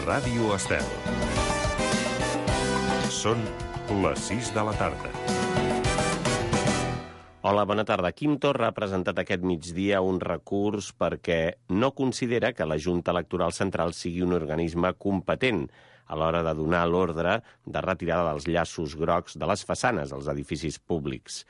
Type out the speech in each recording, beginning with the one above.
Ràdio Estel. Són les 6 de la tarda. Hola, bona tarda. Quim Torra ha presentat aquest migdia un recurs perquè no considera que la Junta Electoral Central sigui un organisme competent a l'hora de donar l'ordre de retirada dels llaços grocs de les façanes als edificis públics.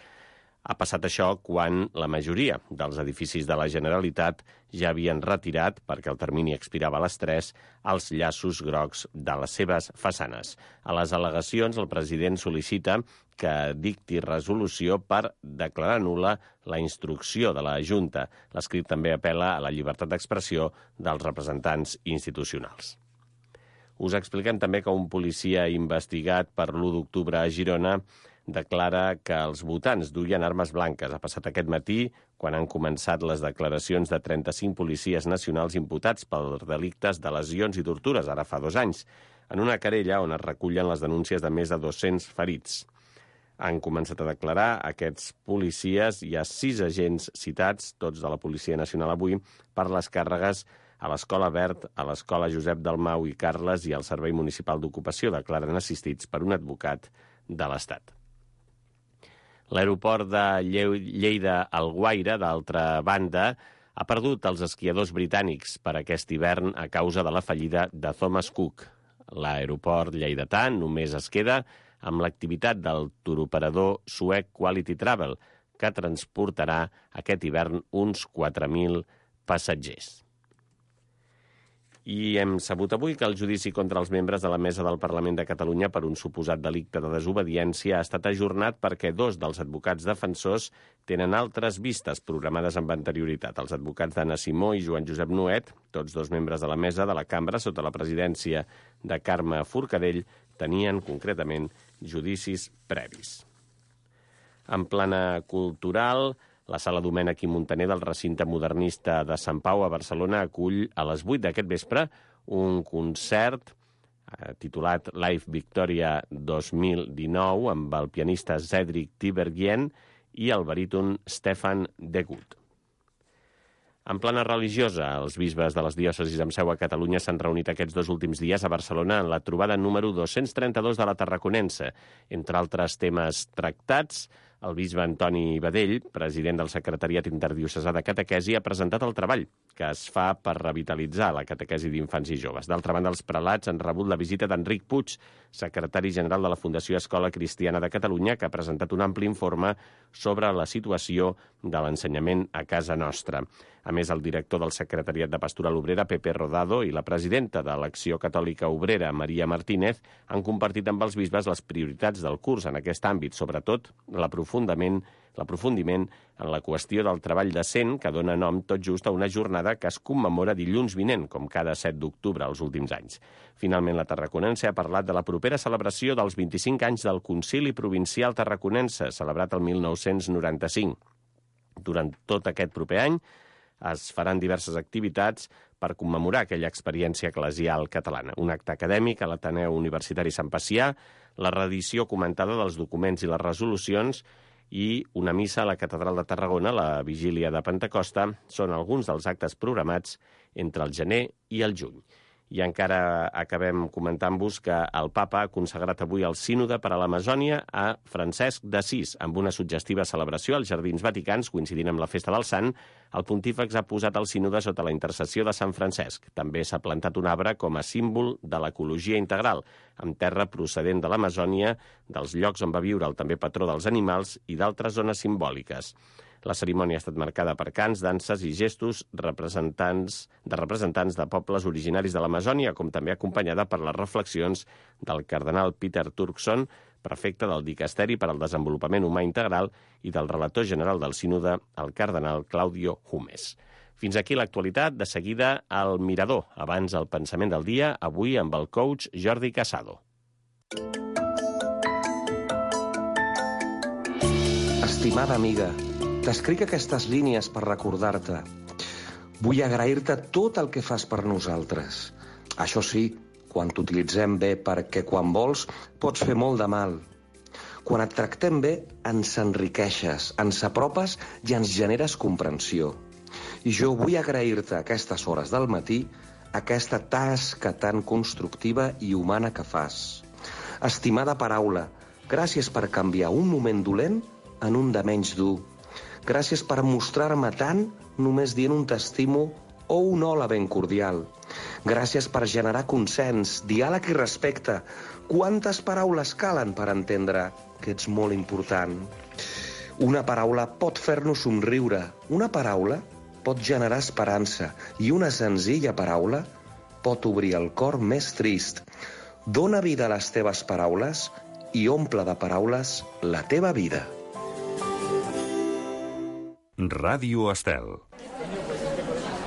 Ha passat això quan la majoria dels edificis de la Generalitat ja havien retirat, perquè el termini expirava a les 3, els llaços grocs de les seves façanes. A les al·legacions, el president sol·licita que dicti resolució per declarar nul·la la instrucció de la Junta. L'escrit també apel·la a la llibertat d'expressió dels representants institucionals. Us expliquem també que un policia investigat per l'1 d'octubre a Girona declara que els votants duien armes blanques. Ha passat aquest matí, quan han començat les declaracions de 35 policies nacionals imputats pels delictes de lesions i tortures, ara fa 2 anys, en una querella on es recullen les denúncies de més de 200 ferits. Han començat a declarar aquests policies. Hi ha 6 agents citats, tots de la Policia Nacional avui, per les càrregues a l'Escola Verd, a l'Escola Josep Dalmau i Carles i al Servei Municipal d'Ocupació, declaren assistits per un advocat de l'Estat. L'aeroport de Lleida-Alguaire, d'altra banda, ha perdut els esquiadors britànics per aquest hivern a causa de la fallida de Thomas Cook. L'aeroport lleidatà només es queda amb l'activitat del turoperador suec Quality Travel, que transportarà aquest hivern uns 4.000 passatgers. I hem sabut avui que el judici contra els membres de la Mesa del Parlament de Catalunya per un suposat delicte de desobediència ha estat ajornat perquè 2 dels advocats defensors tenen altres vistes programades amb anterioritat. Els advocats d'Anna Simó i Joan Josep Nuet, tots 2 membres de la Mesa de la Cambra sota la presidència de Carme Forcadell, tenien concretament judicis previs. En plana cultural, la Sala Domènech i Muntaner del recinte modernista de Sant Pau a Barcelona acull a les 8 d'aquest vespre un concert titulat Live Victoria 2019 amb el pianista Cedric Tiberghien i el baríton Stefan Degut. En plana religiosa, els bisbes de les diòcesis amb seu a Catalunya s'han reunit aquests 2 últims dies a Barcelona en la trobada número 232 de la Tarraconense. Entre altres temes tractats, el bisbe Antoni Badell, president del Secretariat Interdiocesà de Catequesi, ha presentat el treball que es fa per revitalitzar la catequesi d'infants i joves. D'altra banda, els prelats han rebut la visita d'Enric Puig, secretari general de la Fundació Escola Cristiana de Catalunya, que ha presentat un ampli informe sobre la situació de l'ensenyament a casa nostra. A més, el director del Secretariat de Pastoral Obrera, Pepe Rodado, i la presidenta de l'Acció Catòlica Obrera, Maria Martínez, han compartit amb els bisbes les prioritats del curs en aquest àmbit, sobretot l'aprofundiment en la qüestió del treball decent, que dona nom tot just a una jornada que es commemora dilluns vinent, com cada 7 d'octubre als últims anys. Finalment, la Tarraconense ha parlat de la propera celebració dels 25 anys del Concili Provincial Tarraconense, celebrat el 1995. Durant tot aquest proper any es faran diverses activitats per commemorar aquella experiència eclesial catalana. Un acte acadèmic a l'Ateneu Universitari Sant Pacià, la reedició comentada dels documents i les resolucions i una missa a la Catedral de Tarragona, la Vigília de Pentecosta, són alguns dels actes programats entre el gener i el juny. I encara acabem comentant-vos que el papa ha consagrat avui el sínode per a l'Amazònia a Francesc d'Assís. Amb una suggestiva celebració als Jardins Vaticans, coincidint amb la festa del Sant, el pontífex ha posat el sínode sota la intercessió de Sant Francesc. També s'ha plantat un arbre com a símbol de l'ecologia integral, amb terra procedent de l'Amazònia, dels llocs on va viure el també patró dels animals i d'altres zones simbòliques. La cerimònia ha estat marcada per cants, danses i gestos de representants de pobles originaris de l'Amazònia, com també acompanyada per les reflexions del cardenal Peter Turkson, prefecte del Dicasteri per al Desenvolupament Humà Integral, i del relator general del sínode, el cardenal Claudio Humes. Fins aquí l'actualitat. De seguida, al Mirador. Abans, el pensament del dia, avui amb el coach Jordi Casado. Estimada amiga, t'escric aquestes línies per recordar-te. Vull agrair-te tot el que fas per nosaltres. Això sí, quan t'utilitzem bé, perquè quan vols pots fer molt de mal. Quan et tractem bé, ens enriqueixes, ens apropes i ens generes comprensió. I jo vull agrair-te a aquestes hores del matí aquesta tasca tan constructiva i humana que fas. Estimada paraula, gràcies per canviar un moment dolent en un de menys dur. Gràcies per mostrar-me tant només dient un t'estimo o un hola ben cordial. Gràcies per generar consens, diàleg i respecte. Quantes paraules calen per entendre que ets molt important? Una paraula pot fer-nos somriure, una paraula pot generar esperança i una senzilla paraula pot obrir el cor més trist. Dóna vida a les teves paraules i omple de paraules la teva vida. Ràdio Estel.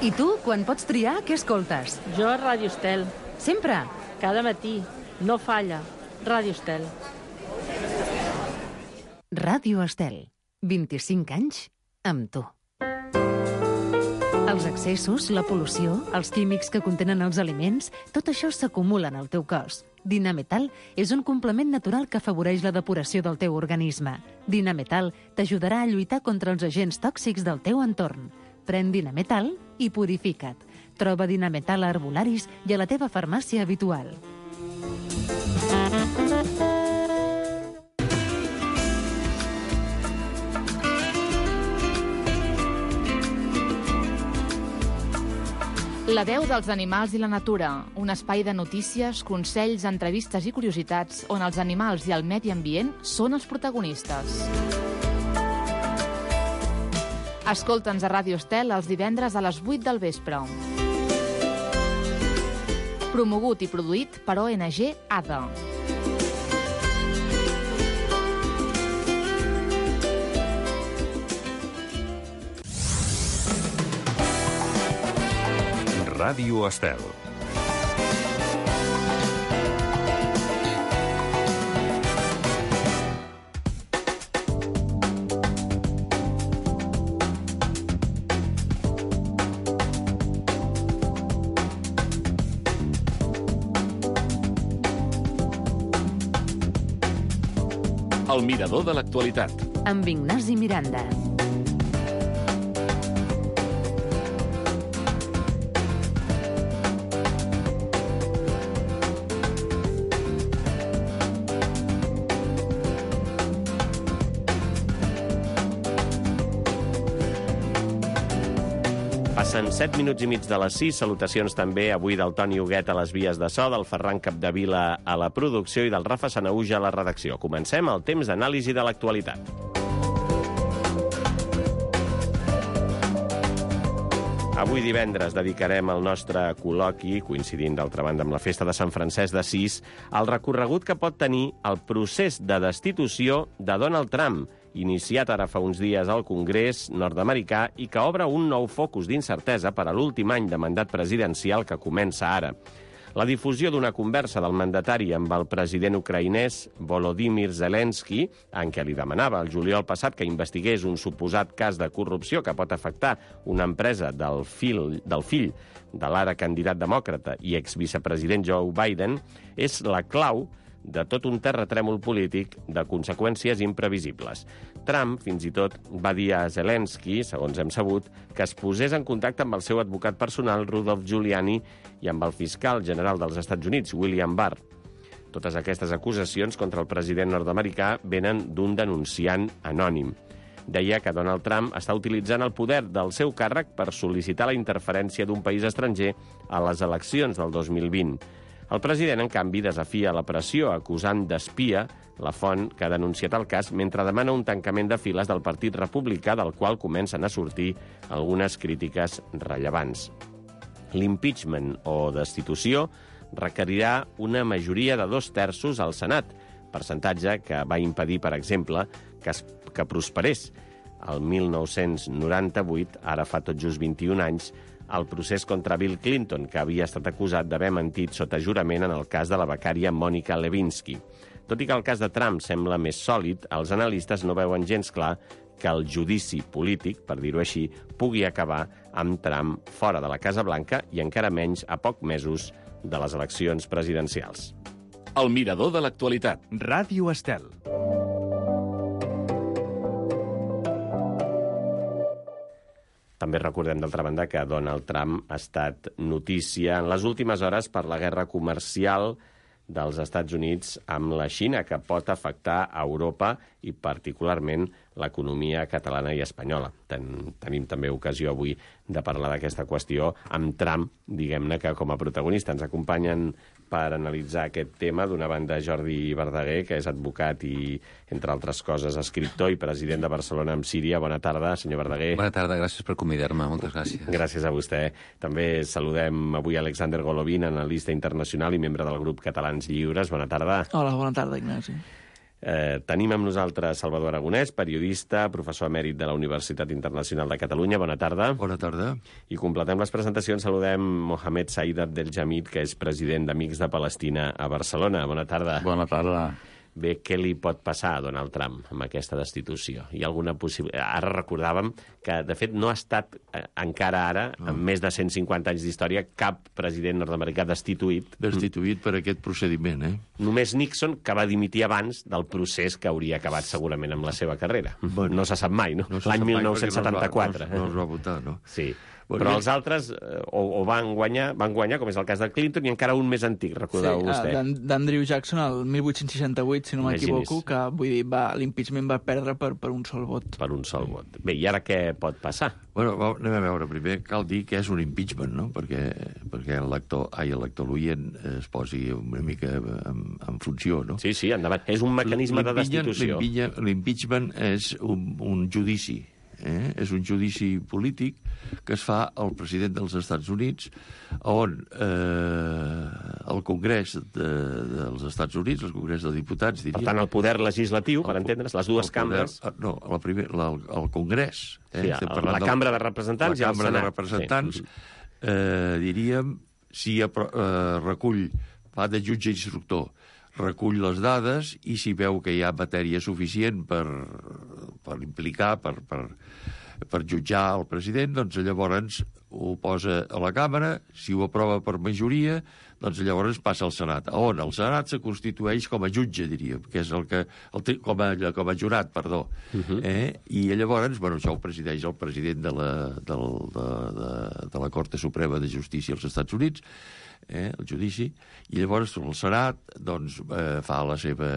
I tu, quan pots triar, què escoltes? Jo a Ràdio Estel. Sempre? Cada matí. No falla. Ràdio Estel. Ràdio Estel. 25 anys amb tu. Els excessos, la pol·lució, els químics que contenen els aliments, tot això s'acumula en el teu cos. Dinametal és un complement natural que afavoreix la depuració del teu organisme. Dinametal t'ajudarà a lluitar contra els agents tòxics del teu entorn. Pren Dinametal i purifica't. Troba Dinametal a Herbolaris i a la teva farmàcia habitual. La veu dels animals i la natura, un espai de notícies, consells, entrevistes i curiositats on els animals i el medi ambient són els protagonistes. Escolta'ns a Ràdio Estel els divendres a les 8 del vespre. Promogut i produït per ONG ADA. Ràdio Estel. El mirador de l'actualitat. Amb Ignasi Miranda. Passen 7 minuts i mig de les 6. Salutacions també avui del Toni Huguet a les vies de so, del Ferran Capdevila a la producció i del Rafa Sanahuja a la redacció. Comencem el temps d'anàlisi de l'actualitat. Avui divendres dedicarem el nostre col·loqui, coincidint d'altra banda amb la festa de Sant Francesc d'Assís, al recorregut que pot tenir el procés de destitució de Donald Trump, iniciat ara fa uns dies al Congrés nord-americà i que obre un nou focus d'incertesa per a l'últim any de mandat presidencial que comença ara. La difusió d'una conversa del mandatari amb el president ucraïnès Volodymyr Zelensky, en què li demanava el juliol passat que investigués un suposat cas de corrupció que pot afectar una empresa del fill de l'ara candidat demòcrata i exvicepresident Joe Biden, és la clau de tot un terratrèmol polític de conseqüències imprevisibles. Trump, fins i tot, va dir a Zelensky, segons hem sabut, que es posés en contacte amb el seu advocat personal, Rudolph Giuliani, i amb el fiscal general dels Estats Units, William Barr. Totes aquestes acusacions contra el president nord-americà venen d'un denunciant anònim. Deia que Donald Trump està utilitzant el poder del seu càrrec per sol·licitar la interferència d'un país estranger a les eleccions del 2020. El president, en canvi, desafia la pressió acusant d'espia la font que ha denunciat el cas mentre demana un tancament de files del Partit Republicà del qual comencen a sortir algunes crítiques rellevants. L'impeachment o destitució requerirà una majoria de 2/3 al Senat, percentatge que va impedir, per exemple, que prosperés. El 1998, ara fa tot just 21 anys, el procés contra Bill Clinton, que havia estat acusat d'haver mentit sota jurament en el cas de la becària Monica Lewinsky. Tot i que el cas de Trump sembla més sòlid, els analistes no veuen gens clar que el judici polític, per dir-ho així, pugui acabar amb Trump fora de la Casa Blanca i encara menys a pocs mesos de les eleccions presidencials. El mirador de l'actualitat. Ràdio Estel. També També recordem, d'altra banda, que Donald Trump ha estat notícia en les últimes hores per la guerra comercial dels Estats Units amb la Xina, que pot afectar a Europa i particularment l'economia catalana i espanyola. Tenim també ocasió avui de parlar d'aquesta qüestió amb Trump, diguem-ne que com a protagonista. Ens acompanyen per analitzar aquest tema, d'una banda, Jordi Verdaguer, que és advocat i, entre altres coses, escriptor i president de Barcelona amb Síria. Bona tarda, senyor Verdaguer. Bona tarda, gràcies per convidar-me, moltes gràcies. Gràcies a vostè. També saludem avui Alexander Golovin, analista internacional i membre del grup Catalans Lliures. Bona tarda. Hola, bona tarda, Ignasi. Tenim amb nosaltres Salvador Aragonès, periodista, professor emèrit de la Universitat Internacional de Catalunya. Bona tarda. Bona tarda. I completem les presentacions. Saludem Mohamed Saïd Abdelhamid, que és president d'Amics de Palestina a Barcelona. Bona tarda. Bona tarda. Bé, què li pot passar a Donald Trump amb aquesta destitució? Hi ha alguna possibilitat? Ara recordàvem que, de fet, no ha estat encara ara, amb més de 150 anys d'història, cap president nord-americà destituït. Destituït per aquest procediment, Només Nixon, que va dimitir abans del procés que hauria acabat segurament amb la seva carrera. Bueno, no se sap mai, no? L'any 1974. No es va votar, no? Sí. Però els altres o van guanyar, com és el cas de Clinton, i encara un més antic, recordeu vostè. D'Andrew Jackson, el 1868, si no m'equivoco, que vull dir, l'impeachment va perdre per un sol vot. Per un sol vot. Bé, i ara què pot passar? Bueno, anem a veure. Primer cal dir que és un impeachment, no? Perquè l'elector l'oient es posi una mica en funció, no? Sí, endavant. És un mecanisme de destitució. L'impeachment és un judici. És un judici polític que es fa al president dels Estats Units, on el Congrés dels Estats Units, el Congrés dels Diputats, diria... Per tant, el poder legislatiu, per entendre's, les dues cambres... No, el Congrés. Sí, la Cambra de Representants i el Senat. La Cambra de Representants, diríem, si recull, fa de jutge instructor, recull les dades i si veu que hi ha matèria suficient per implicar, per jutjar el president, doncs llavors ho posa a la Càmera, si ho aprova per majoria, doncs llavors passa al Senat, on el Senat se constitueix com a jutge, diríem, que és com a jurat, perdó. I llavors, això ho presideix el president de la Cort Suprema de Justícia als Estats Units, el judici, i llavors el Senat fa la seva...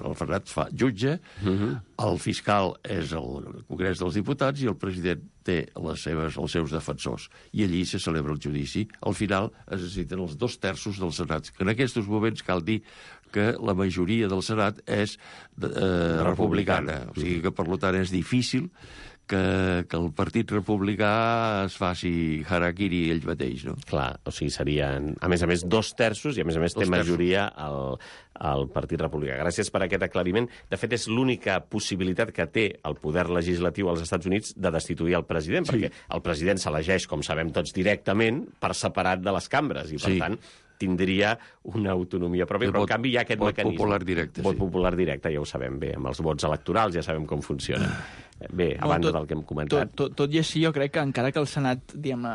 El Senat fa jutge, el fiscal és el Congrés dels Diputats i el president té els seus defensors. I allí se celebra el judici. Al final es necessiten els 2/3 del Senat, que en aquests moments cal dir que la majoria del Senat és republicana. O sigui que, per tant, és difícil que el Partit Republicà es faci harakiri ell mateix, no? Clar, o sigui, serien, a més 2/3, i a més té majoria el Partit Republicà. Gràcies per aquest aclariment. De fet, és l'única possibilitat que té el poder legislatiu als Estats Units de destituir el president, perquè el president s'elegeix, com sabem tots, directament per separat de les cambres, i per tant tindria una autonomia pròpia, però en canvi hi ha aquest mecanisme. Vot popular directe. Vot popular directe, ja ho sabem bé, amb els vots electorals ja sabem com funciona. Bé, a banda del que hem comentat... Tot i així, jo crec que encara que el Senat, diguem-ne,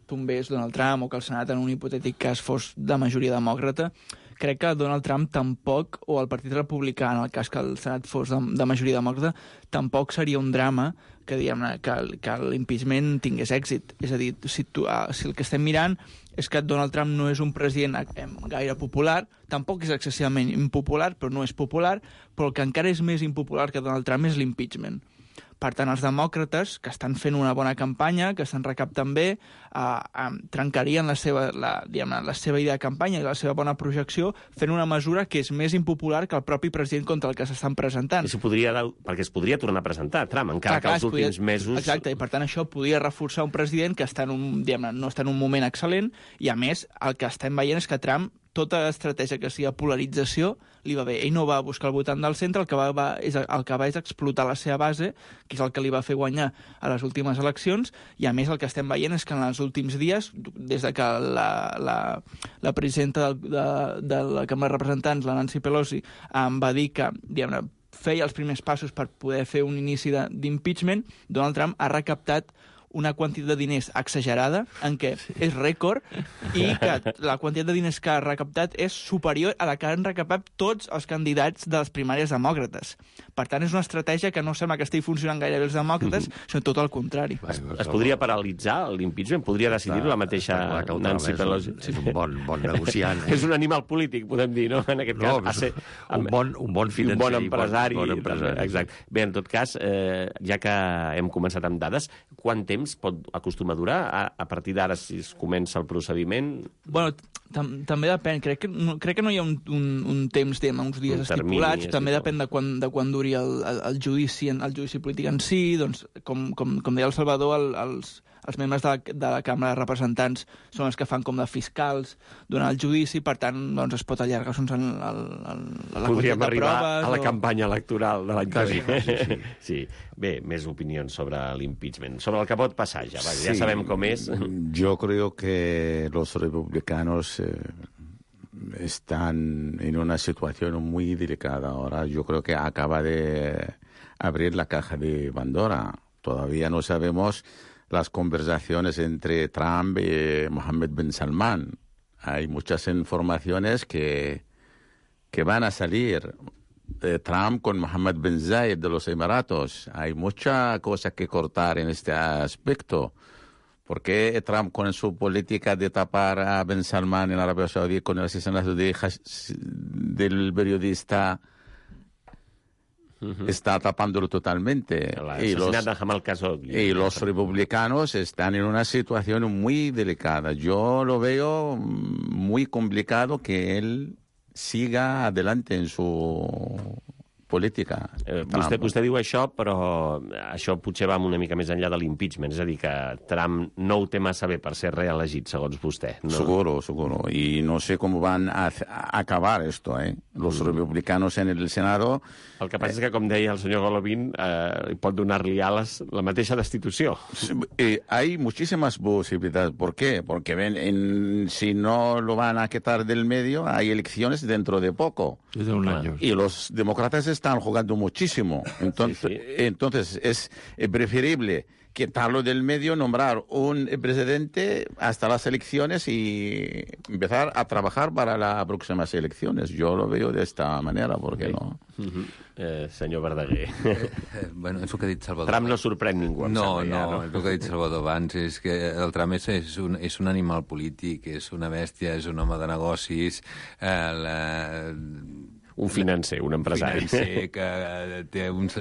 tombés Donald Trump, o que el Senat en un hipotètic cas fos de majoria demòcrata, crec que Donald Trump tampoc, o el Partit Republicà, en el cas que el Senat fos de majoria demòcrata, tampoc seria un drama que, diguem-ne, que l'impeachment tingués èxit. És a dir, si el que estem mirant és que Donald Trump no és un president gaire popular, tampoc és excessivament impopular, però no és popular, però el que encara és més impopular que Donald Trump és l'impeachment. Per tant, els demòcrates, que estan fent una bona campanya, que estan recaptant bé, trencarien la seva idea de campanya i la seva bona projecció fent una mesura que és més impopular que el propi president contra el que s'estan presentant. Perquè es podria tornar a presentar Trump, encara que els últims mesos... Exacte, i per tant això podria reforçar un president que no està en un moment excel·lent, i a més el que estem veient és que Trump, tota estratègia que sigui polarització li va bé. Ell no va buscar el votant del centre, el que va és explotar la seva base, que és el que li va fer guanyar a les últimes eleccions, i a més el que estem veient és que en els últims dies, des de que la presidenta de la Cambra de Representants, la Nancy Pelosi, va dir que, diguem-ne, feia els primers passos per poder fer un inici d'impeachment, Donald Trump ha recaptat una quantitat de diners exagerada, en què és rècord, i que la quantitat de diners que ha recaptat és superior a la que han recaptat tots els candidats de les primàries demòcrates. Per tant, és una estratègia que no sembla que estigui funcionant gaire bé els demòcrates, sinó tot el contrari. Es podria paralitzar l'impeachment? Podria decidir-ho la mateixa Nancy Pelosi? És un bon negociant. És un animal polític, podem dir, no? En aquest cas, un bon financer. Un bon empresari. Exacte. Bé, en tot cas, ja que hem començat amb dades, quant temps pot acostumar a durar? A partir d'ara, si es comença el procediment? Bueno, també depèn. Crec que no hi ha un temps, uns dies estipulats. També depèn de quan duri el judici polític en si. Doncs, com deia el Salvador, els membres de la Cambra de Representants són els que fan com de fiscals durant el judici, per tant, doncs, es pot allargar la quantitat de proves. Podríem arribar a la campanya electoral de l'any que ve. Sí. Bé, més opinions sobre l'impeachment. Sobre el que pot passar ja, ja sabem com és. Yo creo que los republicanos están en una situación muy delicada ahora. Yo creo que acaba de abrir la caja de Pandora. Todavía no sabemos las conversaciones entre Trump y Mohammed bin Salman. Hay muchas informaciones que van a salir. Trump con Mohammed bin Zayed de los Emiratos. Hay mucha cosa que cortar en este aspecto. ¿Por qué Trump, con su política de tapar a bin Salman en Arabia Saudí con el asesinato del periodista, está tapándolo totalmente? Y los republicanos están en una situación muy delicada. Yo lo veo muy complicado que él siga adelante en su política. Vostè diu això, però això potser va una mica més enllà de l'impeachment, és a dir, que Trump no ho té massa bé per ser reelegit, segons vostè. No? Seguro. Y no sé cómo van a acabar esto, Los republicanos en el Senado... El que passa és que, com deia el senyor Golovin, pot donar-li ales la mateixa destitució. Hay muchísimas posibilidades. ¿Por qué? Porque si no lo van a quitar del medio, hay elecciones dentro de poco. Desde un año. Y los demócratas están jugando muchísimo. Entonces es preferible quitarlo del medio, nombrar un presidente hasta las elecciones y empezar a trabajar para las próximas elecciones. Yo lo veo de esta manera, ¿por qué no? Senyor Verdaguer. Bueno, és el que ha dit Salvador. Trump no sorprèn ningú, em sembla. No, el que ha dit Salvador abans és que el Trump és un animal polític, és una bèstia, és un home de negocis, un financer, un empresari. Un financer que té uns...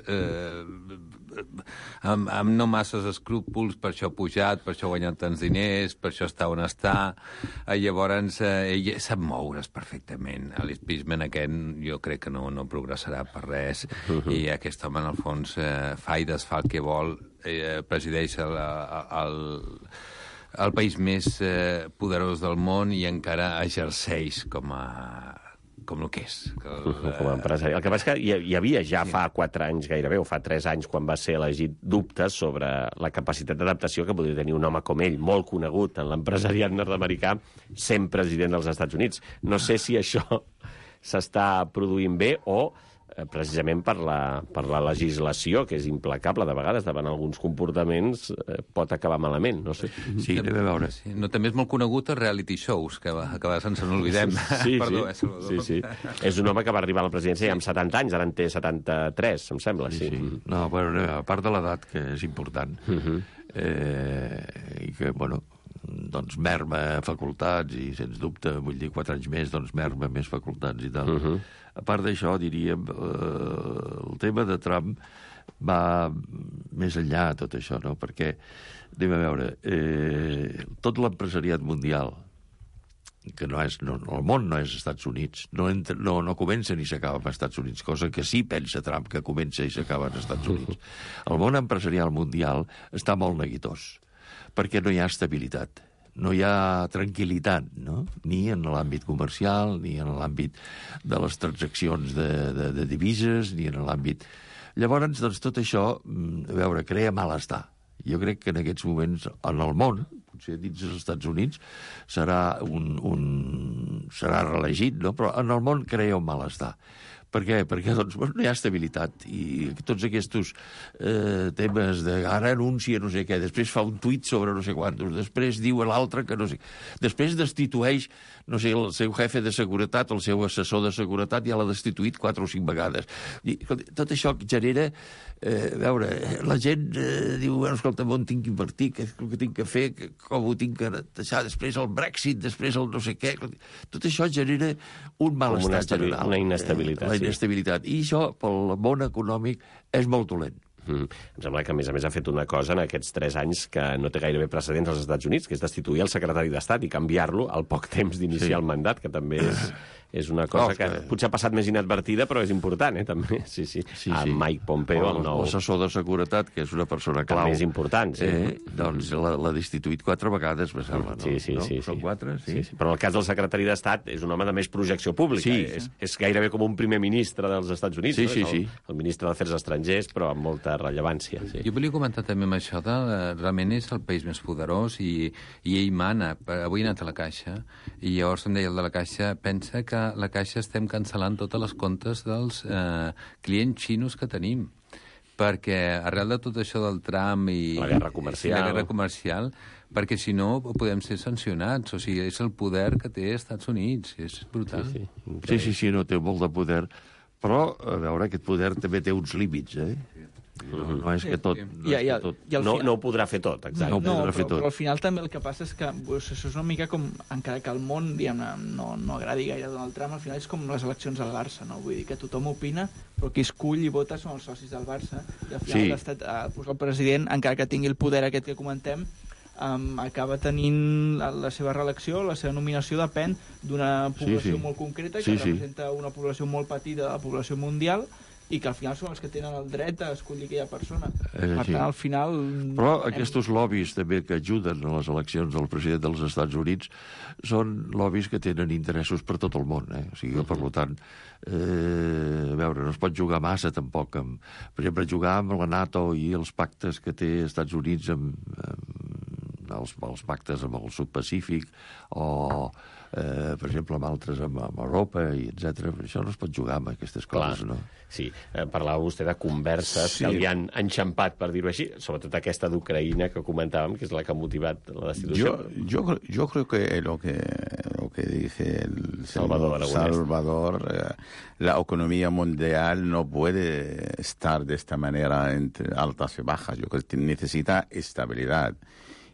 amb no masses escrúpols, per això ha pujat, per això ha guanyat tants diners, per això està on està. Llavors, ell sap moure's perfectament. L'impeachment aquest jo crec que no progressarà per res, i aquest home, en el fons, fa i desfà el que vol, presideix el país més poderós del món i encara exerceix com el que és. Com a empresari. El que passa és que hi havia ja fa 4 anys gairebé, o fa 3 anys, quan va ser elegit, dubtes sobre la capacitat d'adaptació que podria tenir un home com ell, molt conegut en l'empresariat nord-americà, sent president dels Estats Units. No sé si això s'està produint bé o precisament per la legislació, que és implacable de vegades davant alguns comportaments, pot acabar malament, no sé. Sí, anem a veure. No, també és molt conegut els reality shows, que a vegades ens n'oblidem. Perdó, Salvador. Sí. És un home que va arribar a la presidència ja amb 70 anys, ara en té 73, em sembla, sí. No, bueno, a part de l'edat, que és important, i que, bueno, doncs merma facultats, i sens dubte, vull dir, 4 anys més, doncs merma més facultats i tal. A part d'això, diríem, el tema de Trump va més enllà de tot això, no? Perquè, anem a veure, tot l'empresariat mundial, que el món no és Estats Units, no comença ni s'acaba als Estats Units, cosa que sí pensa Trump, que comença i s'acaba als Estats Units. El món empresarial mundial està molt neguitós, perquè no hi ha estabilitat, no hi ha tranquil·litat, no? Ni en l'àmbit comercial, ni en l'àmbit de les transaccions de divises, ni en l'àmbit... Llavors, doncs, tot això, a veure, crea malestar. Jo crec que en aquests moments, en el món, potser dins dels Estats Units, serà reelegit, no? Però en el món crea un malestar. Per què? Perquè doncs, no hi ha estabilitat i tots aquests temes de ara anuncia no sé què, després fa un tuit sobre no sé quantos, després diu l'altre que no sé... Després destitueix, no sé, el seu jefe de seguretat, el seu assessor de seguretat ja l'ha destituït 4 o 5 vegades. I, tot això genera... veure, la gent diu, bueno, escolta, on tinc que invertir, què és el que tinc que fer, com ho tinc que deixar, després el Brexit, després el no sé què... Tot això genera un malestar general. Una inestabilitat. La inestabilitat. I això, pel món econòmic, és molt dolent. Em sembla que, a més, ha fet una cosa en aquests 3 anys que no té gairebé precedents als Estats Units, que és destituir el secretari d'Estat i canviar-lo al poc temps d'iniciar el mandat, que també és una cosa que potser ha passat més inadvertida, però és important, també. Sí. Mike Pompeo, el nou... L'assessor de seguretat, que és una persona clau. També és important, sí. Doncs l'ha destituït 4 vegades, me sembla, no? Sí. Són 4, sí. Però en el cas del secretari d'Estat és un home de més projecció pública. Sí. És gairebé com un primer ministre dels Estats Units. Sí. El ministre d'Afers Estrangers, però amb molta rellevància. Sí. Jo volia comentar també amb això realment és el país més poderós i ell mana. Avui he anat a la Caixa i llavors em deia el de la Caixa, pensa que la Caixa estem cancel·lant totes les comptes dels clients xinos que tenim, perquè arrel de tot això del Trump i la guerra comercial, perquè si no podem ser sancionats, o sigui, és el poder que té els Estats Units, és brutal. Sí, no té molt de poder, però, a veure, aquest poder també té uns límits, No és que tot... No ho podrà fer tot, exacte. Però al final també el que passa és que això és una mica com, encara que el món no agradi gaire Donald Trump, al final és com les eleccions al Barça, no? Vull dir que tothom opina, però qui escull i vota són els socis del Barça, i al final el president, encara que tingui el poder aquest que comentem, acaba tenint la seva reelecció, la seva nominació depèn d'una població molt concreta que representa una població molt petita de la població mundial i que al final són els que tenen el dret a escollir aquella persona. Per tant, al final... Però aquests lobbies també que ajuden a les eleccions del president dels Estats Units són lobbies que tenen interessos per tot el món. O sigui, per tant, a veure, no es pot jugar massa tampoc. Per exemple, jugar amb la NATO i els pactes que té els Estats Units amb els pactes amb el Sud-Pacífic o... per exemple, amb altres, amb Europa, i etc. Això no es pot jugar amb aquestes coses, no? Sí, parlava vostè de converses que li han enxampat, per dir-ho així, sobretot aquesta d'Ucraïna que comentàvem, que és la que ha motivat la destitució. Yo creo que lo que dice el Salvador, la economía mundial no puede estar de esta manera entre altas y bajas. Yo creo que necesita estabilidad.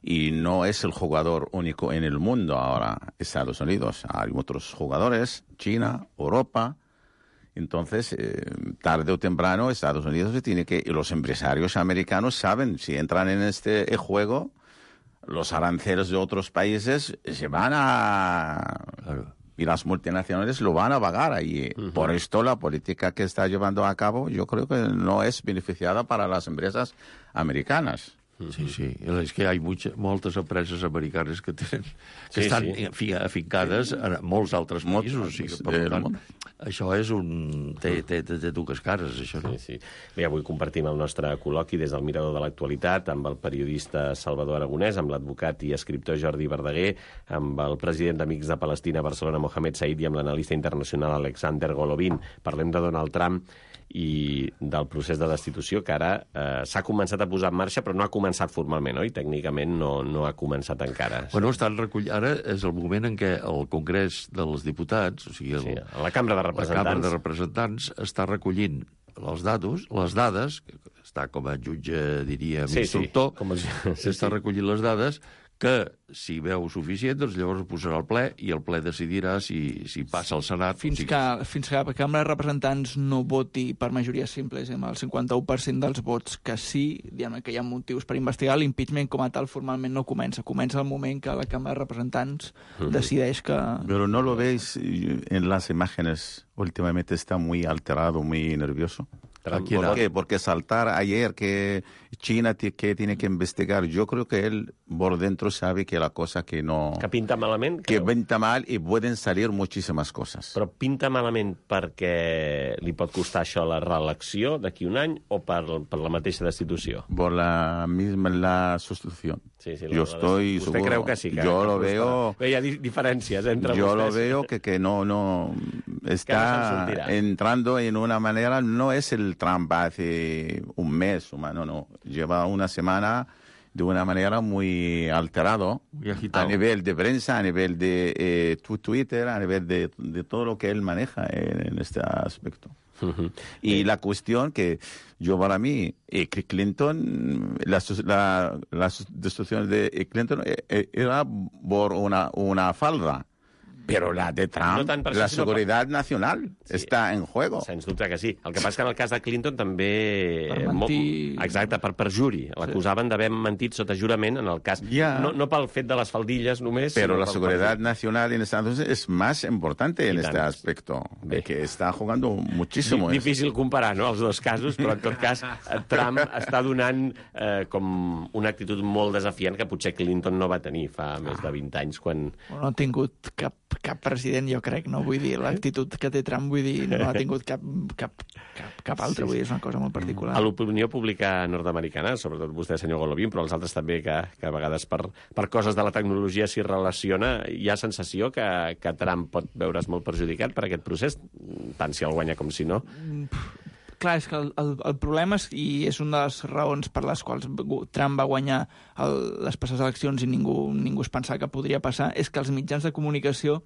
Y no es el jugador único en el mundo ahora, Estados Unidos. Hay otros jugadores, China, Europa. Entonces, tarde o temprano, Estados Unidos se tiene que... Y los empresarios americanos saben, si entran en este juego, los aranceles de otros países se van a... Y las multinacionales lo van a pagar ahí. Por esto, la política que está llevando a cabo, yo creo que no es beneficiada para las empresas americanas. Sí, és que hi ha moltes empreses americanes que estan afincades en molts altres països. O sigui, per tant, això és té dues cares, això, no? Sí. Bé, avui compartim el nostre col·loqui des del Mirador de l'Actualitat amb el periodista Salvador Aragonès, amb l'advocat i escriptor Jordi Verdaguer, amb el president d'Amics de Palestina a Barcelona, Mohamed Said, i amb l'analista internacional Alexander Golovin. Parlem de Donald Trump i del procés de destitució que ara s'ha començat a posar en marxa, però no ha començat formalment, oi? Tècnicament no ha començat encara. Bueno, ara és el moment en què el Congrés dels Diputats, o sigui, la Cambra de Representants està recollint les dades, que està com a jutge, diríem, instructor, s'està recollint les dades, que si veu suficient, doncs llavors ho posarà al ple i el ple decidirà si passa al Senat. Fins que la Cambra de Representants no voti per majoria simple, és amb el 51% dels vots que sí, diguem que hi ha motius per investigar, l'impeachment com a tal formalment no comença. Comença el moment que la Cambra de Representants decideix que... Pero no lo veis en las imágenes, últimamente está muy alterado, muy nervioso. ¿Por qué? Porque saltar ayer que China que tiene que investigar, yo creo que él por dentro sabe que la cosa que no... Que pinta malament? Que pinta mal y pueden salir muchísimas cosas. Però pinta malament perquè li pot costar això la reelecció d'aquí un any o per la mateixa destitució? Por la sustitución. Sí, yo estoy ¿Usted creu que sí? Yo lo veo... Hi ha diferències entre yo vostès. Lo veo que no... está entrando en una manera, no es el Trump hace un mes, no, lleva una semana de una manera muy alterado, a nivel de prensa, a nivel de Twitter, a nivel de todo lo que él maneja en este aspecto. Y la cuestión que yo para mí, Clinton, la destrucción de Clinton era por una falda. Però la de Trump, no per la seguretat nacional, està en juego. Sens dubte que sí. El que passa que en el cas de Clinton també... Per mentir... Exacte, per perjuri. L'acusaven d'haver mentit sota jurament en el cas. No pel fet de les faldilles només... Però la seguretat nacional en Estados Unidos es más importante en este aspecto. Que està jugando muchísimo. Difícil comparar, no?, els dos casos, però en tot cas Trump està donant com una actitud molt desafiant que potser Clinton no va tenir fa més de 20 anys, quan... No ha tingut cap president, jo crec, no? Vull dir, l'actitud que té Trump, vull dir, no ha tingut cap altre, vull dir, és una cosa molt particular. A l'opinió pública nord-americana, sobretot vostè, senyor Golovin, però els altres també, que a vegades per coses de la tecnologia s'hi relaciona, hi ha sensació que Trump pot veure's molt perjudicat per aquest procés, tant si el guanya com si no? Clar, és que el problema és, i és una de les raons per les quals Trump va guanyar les passades eleccions i ningú es pensava que podria passar, és que els mitjans de comunicació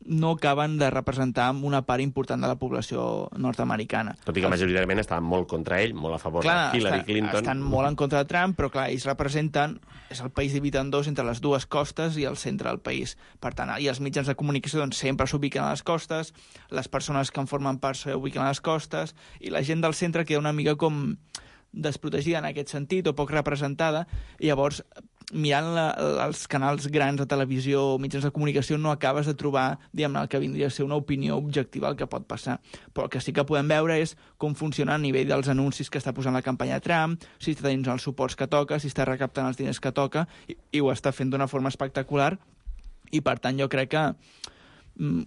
no acaben de representar una part important de la població nord-americana. Tot i que majoritàriament estaven molt contra ell, molt a favor de Hillary Clinton. Estan molt en contra de Trump, però clar, ells representen... És el país dividit en dos, entre les dues costes i el centre del país. Per tant, i els mitjans de comunicació doncs, sempre s'ubiquen a les costes, les persones que en formen part s'ubiquen a les costes, i la gent del centre queda una mica com desprotegida en aquest sentit, o poc representada, i llavors, mirant els canals grans de televisió o mitjans de comunicació, no acabes de trobar, diguem-ne, el que vindria a ser una opinió objectiva del que pot passar. Però el que sí que podem veure és com funciona a nivell dels anuncis que està posant la campanya Trump, si està tenint els suports que toca, si està recaptant els diners que toca, i ho està fent d'una forma espectacular, i per tant jo crec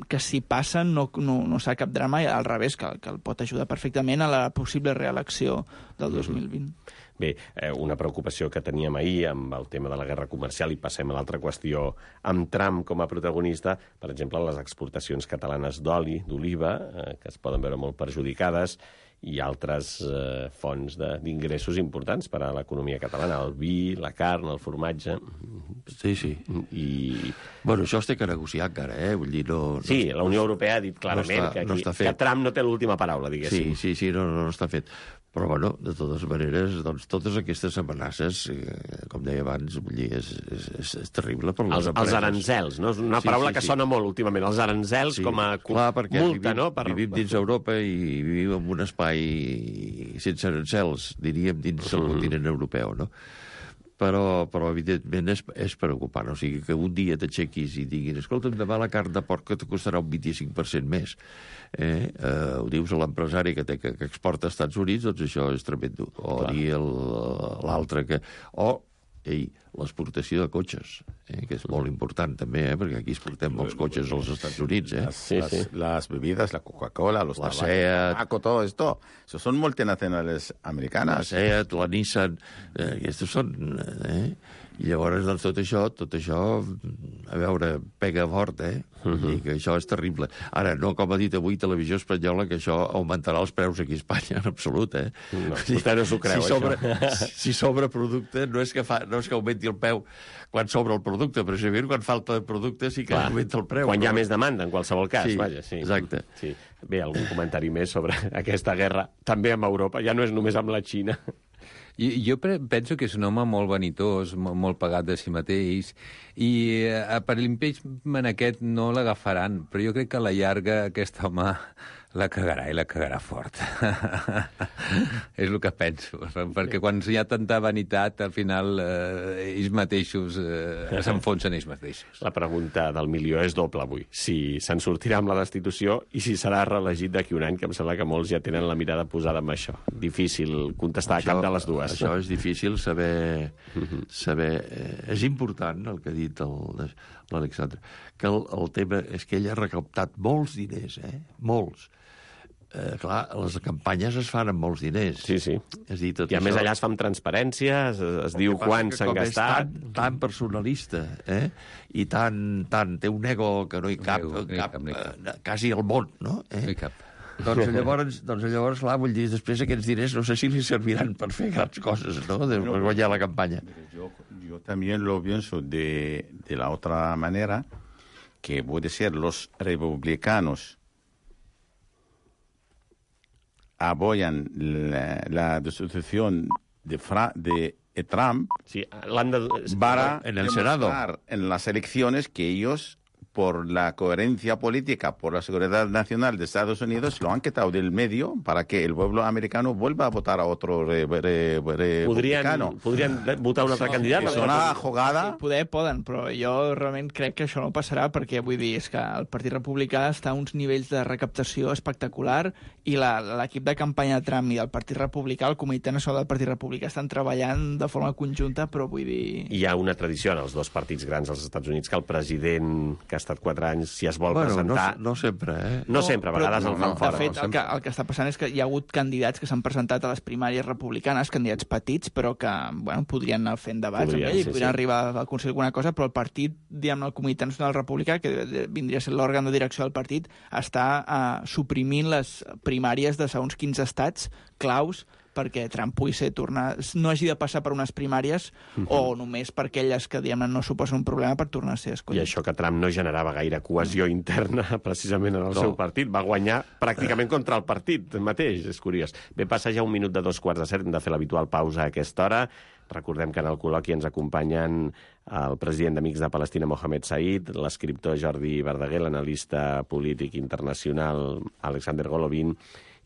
que si passen no serà cap drama, i al revés, que el pot ajudar perfectament a la possible reelecció del 2020. Bé, una preocupació que teníem ahir amb el tema de la guerra comercial, i passem a l'altra qüestió amb Trump com a protagonista, per exemple, les exportacions catalanes d'oli, d'oliva, que es poden veure molt perjudicades, i altres fonts d'ingressos importants per a l'economia catalana, el vi, la carn, el formatge... Sí. Bueno, això es té que negociar encara, Vull dir, no... Sí, la Unió Europea ha dit clarament que Trump no té l'última paraula, diguéssim. Sí, no està fet. Però, bueno, de totes maneres, doncs, totes aquestes amenaces, com deia abans, vull dir, és terrible per les empreses. Els aranzels, no? És una paraula que sona molt últimament, els aranzels com a multa, no? Vivim dins Europa i vivim en un espai sense arancels, diríem, dins el continent europeu, no? Però evidentment, és preocupant. O sigui, que un dia t'aixequis i diguin escolta'm, demà la carn de porc te costarà un 25% més. Ho dius a l'empresari que exporta als Estats Units, doncs això és tremendo. O dir l'altre que... l'exportació de cotxes, que és molt important també, perquè aquí exportem molts cotxes als Estats Units. Las bebidas, la Coca-Cola, los tabaco, todo esto, eso son multinacionales americanas. La Seat, la Nissan, aquests són... I llavors, doncs, tot això, a veure, pega fort, I que això és terrible. Ara, no com ha dit avui Televisió Espanyola, que això augmentarà els preus aquí a Espanya, en absolut, No, vostè no s'ho creu, això. Si sobra producte, no és que augmenti el preu quan sobra el producte, però si quan falta producte sí que augmenta el preu. Quan hi ha més demanda, en qualsevol cas, vaja. Sí, exacte. Sí. Bé, algun comentari més sobre aquesta guerra, també amb Europa, ja no és només amb la Xina. Jo penso que és un home molt vanitós, molt pagat de si mateix, i per l'impeachment aquest no l'agafaran, però jo crec que a la llarga aquest home la cagarà, i la cagarà fort. És el que penso, perquè quan hi ha tanta vanitat, al final ells mateixos s'enfonsen ells mateixos. La pregunta del milió és doble avui. Si se'n sortirà amb la destitució i si serà reelegit d'aquí un any, que em sembla que molts ja tenen la mirada posada en això. Difícil contestar cap de les dues. Això és difícil saber... És important el que ha dit l'Alexandre, que el tema és que ell ha recaptat molts diners, molts. clar, les campanyes es fan amb molts diners. Sí. És dir, tot I a més això... allà es fa amb transparència, es diu quan s'han gastat. Tan personalista, i tan té un ego que no hi cap, quasi al món, no? No hi cap. Doncs llavors, clar, vull dir, després aquests diners no sé si li serviran per fer grans coses, no?, per guanyar la campanya. Yo también lo pienso de la otra manera, que puede ser los republicanos apoyan la destitución de Trump para en el Senado, en las elecciones, que ellos, por la coherencia política, por la seguridad nacional de Estados Unidos, lo han quitado del medio para que el pueblo americano vuelva a votar a otro republicano. Podrien votar un altre candidat? És una jugada... Poden, però jo realment crec que això no passarà, perquè vull dir, és que el Partit Republicà està a uns nivells de recaptació espectacular i l'equip de campanya de Trump i el Partit Republicà, el Comitè Nacional del Partit Republicà, estan treballant de forma conjunta, però vull dir... Hi ha una tradició en els dos partits grans als Estats Units que el president que ha estat 4 anys, si es vol presentar... No sempre, No sempre, a vegades el fan fora. De fet, el que està passant és que hi ha hagut candidats que s'han presentat a les primàries republicanes, candidats petits, però que podrien anar fent debats amb ell i podrien arribar a aconseguir alguna cosa, però el partit, diguem, el Comitè Nacional Republicà, que vindria a ser l'òrgan de direcció del partit, està suprimint les primàries de segons quins estats claus perquè Trump pugui no hagi de passar per unes primàries o només per aquelles que, diguem, no suposen un problema per tornar a ser escollit. I això que Trump no generava gaire cohesió interna precisament en el seu partit. Va guanyar pràcticament contra el partit mateix, és curiós. Bé, passa ja 1 minut de 2:45, hem de fer l'habitual pausa a aquesta hora. Recordem que en el col·loqui ens acompanyen el president d'Amics de Palestina, Mohamed Said, l'escriptor Jordi Verdaguer, l'analista polític internacional Alexander Golovin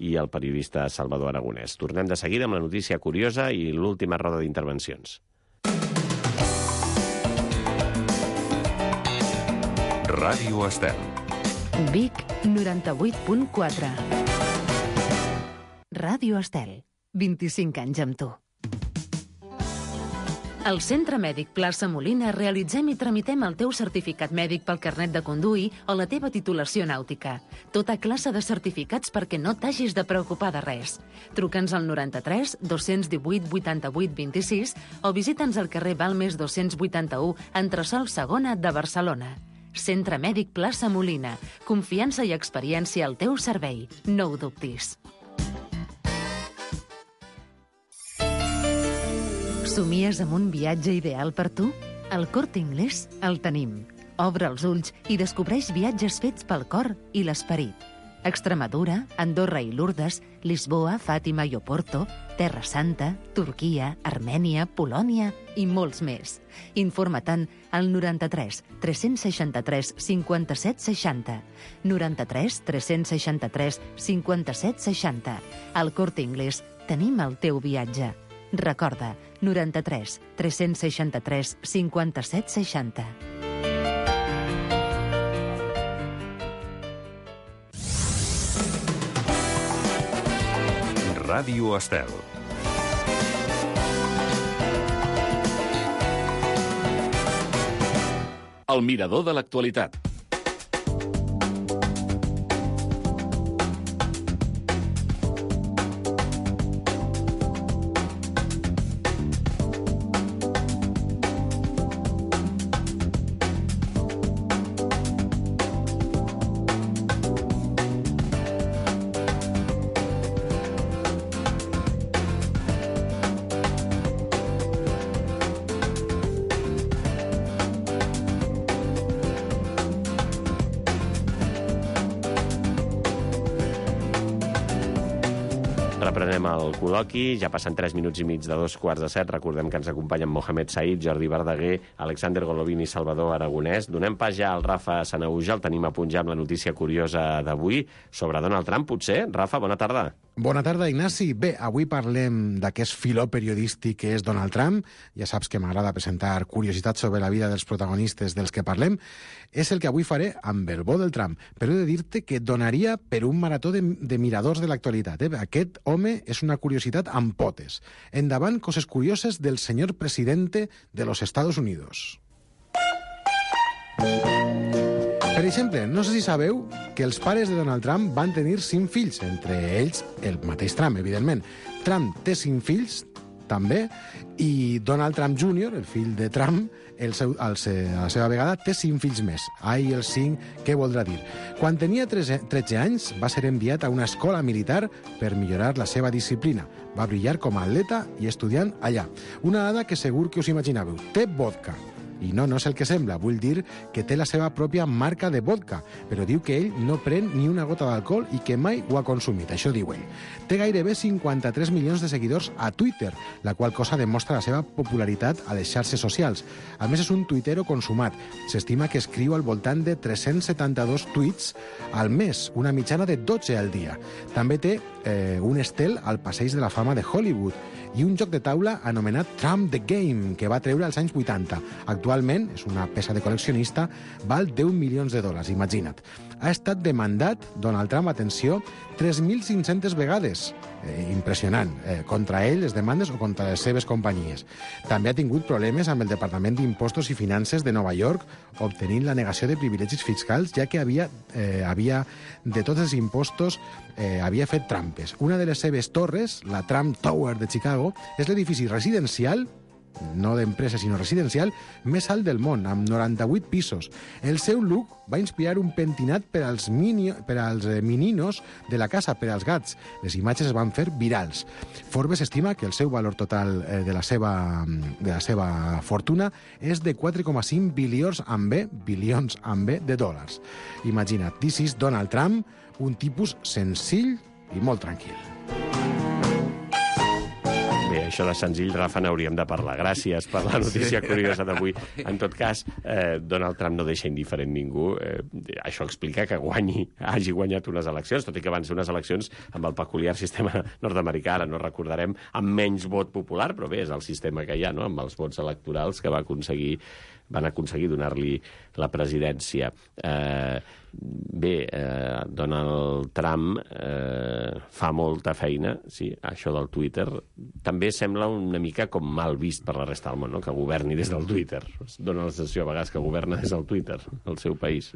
i el periodista Salvador Aragonès. Tornem de seguida amb la notícia curiosa i l'última roda d'intervencions. Ràdio Estel. Vic 98.4. Ràdio Estel. 25 anys amb tu. Al Centre Mèdic Plaça Molina realitzem i tramitem el teu certificat mèdic pel carnet de conduir o la teva titulació nàutica. Tota classe de certificats perquè no t'hagis de preocupar de res. Truca'ns al 93 218 88 26 o visita'ns al carrer Balmes 281, entresòl segona de Barcelona. Centre Mèdic Plaça Molina. Confiança i experiència al teu servei. No ho dubtis. Somies amb un viatge ideal per tu? Al Corte Inglés el tenim. Obre els ulls i descobreix viatges fets pel cor i l'esperit. Extremadura, Andorra i Lourdes, Lisboa, Fàtima i Oporto, Terra Santa, Turquia, Armènia, Polònia i molts més. Informa-te'n al 93 363 57 60. 93 363 57 60. Al Corte Inglés tenim el teu viatge. Recorda, 93 363 57 60. Ràdio Estel. El mirador de l'actualitat. Reprenem el col·loqui, ja passen 3 minuts i mig de 2:15. Recordem que ens acompanyen Mohamed Said, Jordi Verdaguer, Alexander Golovin i Salvador Aragonès. Donem pas ja al Rafa Sanahuja, el tenim a punt ja amb la notícia curiosa d'avui sobre Donald Trump, potser? Rafa, bona tarda. Bona tarda, Ignasi. Bé, avui parlem d'aquest filó periodístic que és Donald Trump. Ja saps que m'agrada presentar curiositats sobre la vida dels protagonistes dels que parlem. És el que avui faré amb el bo del Trump, però he de dir-te que donaria per un marató de miradors de l'actualitat. Aquest home és una curiositat amb potes. Endavant, coses curioses del senyor presidente de los Estados Unidos. Per exemple, no sé si sabeu que els pares de Donald Trump van tenir 5 fills, entre ells el mateix Trump, evidentment. Trump té 5 fills, també, i Donald Trump Jr., el fill de Trump, a la seva vegada, té 5 fills més. Ai, els 5, què voldrà dir? Quan tenia 13 anys, va ser enviat a una escola militar per millorar la seva disciplina. Va brillar com a atleta i estudiant allà. Una dada que segur que us imaginàveu. Té vodka. I no és el que sembla. Vull dir que té la seva pròpia marca de vodka, però diu que ell no pren ni una gota d'alcohol i que mai ho ha consumit. Això diu ell. Té gairebé 53 milions de seguidors a Twitter, la qual cosa demostra la seva popularitat a les xarxes socials. A més, és un tuitero consumat. S'estima que escriu al voltant de 372 tuits al mes, una mitjana de 12 al dia. També té un estel al Passeig de la Fama de Hollywood i un joc de taula anomenat Trump the Game, que va treure als anys 80. Actualment, és una peça de col·leccionista, val 10 milions de dòlars, imagina't. Ha estat demandat, Donald Trump, atenció, 3.500 vegades. Impressionant. Contra ell, les demandes o contra les seves companyies. També ha tingut problemes amb el Departament d'Impostos i Finances de Nova York, obtenint la negació de privilegis fiscals, ja que havia de tots els impostos havia fet trampes. Una de les seves torres, la Trump Tower de Chicago, és l'edifici residencial, no d'empresa, sinó residencial, més alt del món, amb 98 pisos. El seu look va inspirar un pentinat per als meninos de la casa, per als gats. Les imatges es van fer virals. Forbes estima que el seu valor total de la seva fortuna és de 4,5 bilions amb B de dòlars. Imagina't, this is Donald Trump, un tipus senzill i molt tranquil. Bé, això de senzill, Rafa, n'hauríem de parlar. Gràcies per la notícia curiosa d'avui. En tot cas, Donald Trump no deixa indiferent ningú. Això explica que hagi guanyat unes eleccions, tot i que van ser unes eleccions amb el peculiar sistema nord-americà, ara no recordarem, amb menys vot popular, però bé, és el sistema que hi ha, no?, amb els vots electorals que van aconseguir donar-li la presidència. Donald Trump fa molta feina, sí, això del Twitter. També sembla una mica com mal vist per la resta del món, no?, que governi des del Twitter. Es dona la sensació a vegades que governa des del Twitter, el seu país.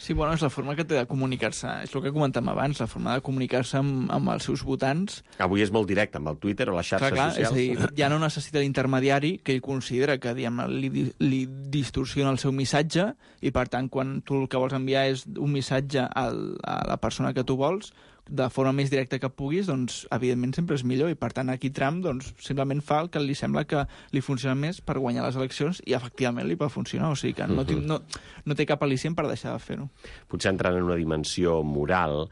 Sí, bueno, és la forma que té de comunicar-se. És el que comentàvem abans, la forma de comunicar-se amb els seus votants. Avui és molt directe, amb el Twitter o les xarxes socials. És a dir, ja no necessita l'intermediari, que ell considera que li distorsiona el seu missatge, i per tant, quan tu el que vols enviar és un missatge a la persona que tu vols, de forma més directa que puguis, doncs, evidentment, sempre és millor. I, per tant, aquí Trump, doncs, simplement fa el que li sembla que li funciona més per guanyar les eleccions i, efectivament, li pot funcionar. O sigui que no té cap al·licient per deixar de fer-ho. Potser entrant en una dimensió moral,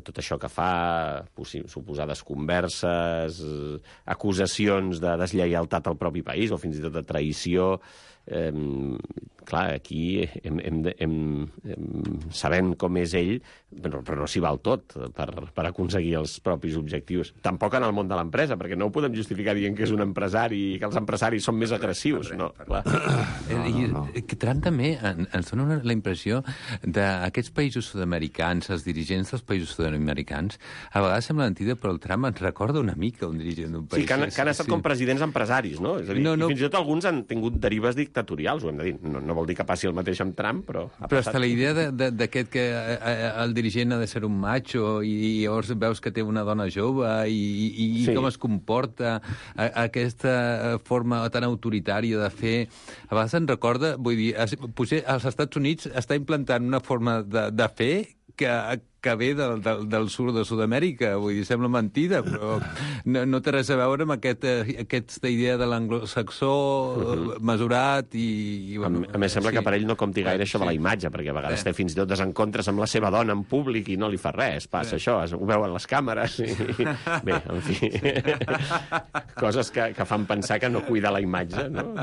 tot això que fa, suposades converses, acusacions de deslleialtat al propi país o fins i tot de traïció. Clar, aquí sabent com és ell, però no s'hi val tot per aconseguir els propis objectius. Tampoc en el món de l'empresa, perquè no ho podem justificar dient que és un empresari i que els empresaris són més agressius. No, clar. Trump també ens dona la impressió d'aquests països sud-americans, els dirigents dels països sud-americans, a vegades sembla mentida, però el Trump ens recorda una mica un dirigent d'un país. Sí, que han estat com presidents empresaris, no? És a dir, fins i tot alguns han tingut derives dictatorials, ho hem de dir. No vol dir que passi el mateix amb Trump, però... Però està la idea d'aquest que el dirigent ha de ser un macho i llavors veus que té una dona jove i com es comporta, aquesta forma tan autoritària de fer. A vegades em recorda, vull dir, potser als Estats Units està implantant una forma de fer que ve del sud de Sud-amèrica, vull dir, sembla mentida, però no té res a veure amb aquesta idea de l'anglosaxó mesurat i... A més, sembla que per ell no compti gaire això de la imatge, perquè a vegades té fins i tot desencontres amb la seva dona en públic i no li fa res, passa això, ho veuen les càmeres i... Bé, en fi... Coses que fan pensar que no cuida la imatge, no?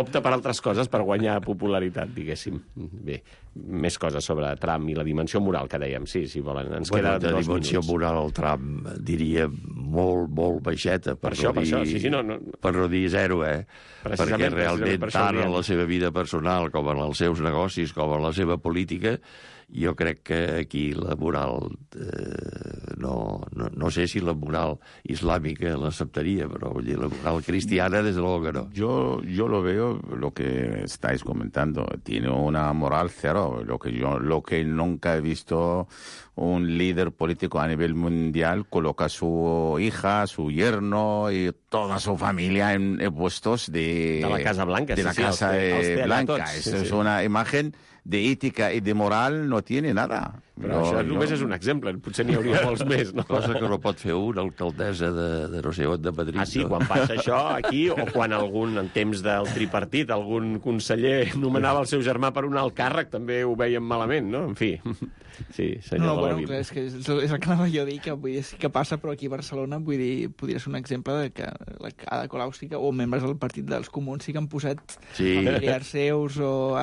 Opta per altres coses per guanyar popularitat, diguéssim. Bé, més coses sobre Trump i la dimensió moral que dèiem, sí, volen. Ens queda 2 minuts. La dimensió moral al Trump, diria, molt, molt baixeta. Per no dir zero, perquè realment tant en la seva vida personal com en els seus negocis, com en la seva política, Jo crec que aquí la moral, no sé si la moral islàmica l'acceptaría, però vull dir, la moral cristiana, desde luego que no. Yo lo veo, lo que estáis comentando, tiene una moral cero. Lo que nunca he visto un líder político a nivel mundial coloca a su hija, su yerno y toda su familia en puestos de la Casa Blanca. De la Casa Blanca. Eso es una imagen de ética y de moral, no tiene nada. Però això només és un exemple, potser n'hi hauria molts més, no? Cosa que no pot fer una alcaldessa de no sé on, de Madrid. Ah, sí, quan passa això aquí, o quan en temps del tripartit, algun conseller nomenava el seu germà per un alt càrrec, també ho veiem malament, no? En fi, sí, senyor de la vida. Clar, és el que anava jo a dir, que vull dir, sí que passa, però aquí a Barcelona, vull dir, podria ser un exemple de que la Ada Colau o membres del partit dels Comuns sí que han posat familiars seus o